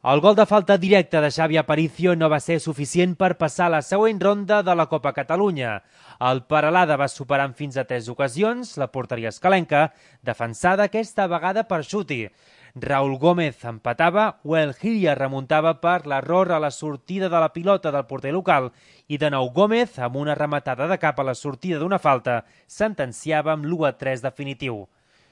El gol de falta directa de Xavi Aparicio no va ser suficient per passar a la següent ronda de la Copa Catalunya. El Peralada va superar en fins a 3 ocasions la porteria escalenca, defensada aquesta vegada per Xuti. Raúl Gómez empatava o el Gilla remuntava per l'error a la sortida de la pilota del porter local i de nou Gómez, amb una rematada de cap a la sortida d'una falta, sentenciava amb l'1-3 definitiu.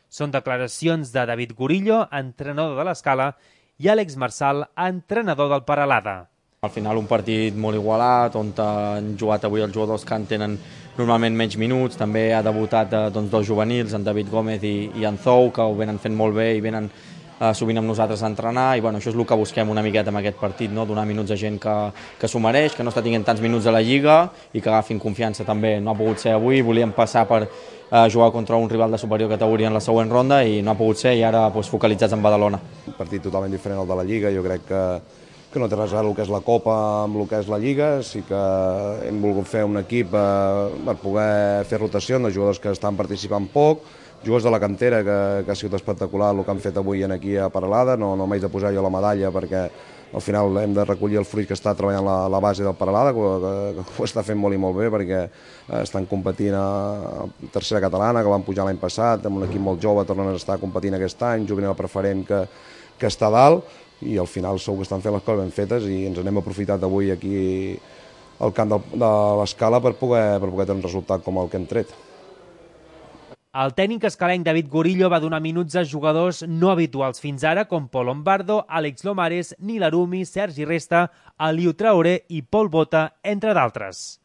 Són declaracions de David Gurillo, entrenador de l'Escala, i Àlex Marsal, entrenador del Peralada. Al final un partit molt igualat, on han jugat avui els jugadors que en tenen normalment menys minuts. També ha debutat dos juvenils, en David Gómez i en Zou, que ho venen fent molt bé i venen sovint amb nosaltres a entrenar, i això és el que busquem una miqueta amb aquest partit, no? Donar minuts a gent que s'ho mereix, que no està tinguent tants minuts a la Lliga i que agafin confiança també. No ha pogut ser avui, volíem passar per jugar contra un rival de superior categoria en la següent ronda i no ha pogut ser, i ara focalitzats en Badalona. Un partit totalment diferent al de la Lliga, jo crec que no té res a veure el que és la Copa amb el que és la Lliga. Sí que hem volgut fer un equip per poder fer rotació de jugadors que estan participant poc, jugadors de la cantera que ha sigut espectacular el que han fet avui aquí a Peralada. No m'haig de posar jo la medalla perquè al final hem de recollir el fruit que està treballant la base del Peralada, que ho està fent molt i molt bé, perquè estan competint a tercera catalana, que van pujar l'any passat, amb un equip molt jove, tornen a estar competint aquest any, juvenil preferent que està a dalt, i al final segur que estan fent les coses ben fetes i ens n'hem aprofitat avui aquí al camp de l'Escala per poder tenir un resultat com el que hem tret. El tècnic escalenc David Gurillo va donar minuts a jugadors no habituals fins ara, com Pol Lombardo, Àlex Lomares, Nil Arumi, Sergi Resta, Aliou Traoré i Pol Bota, entre d'altres.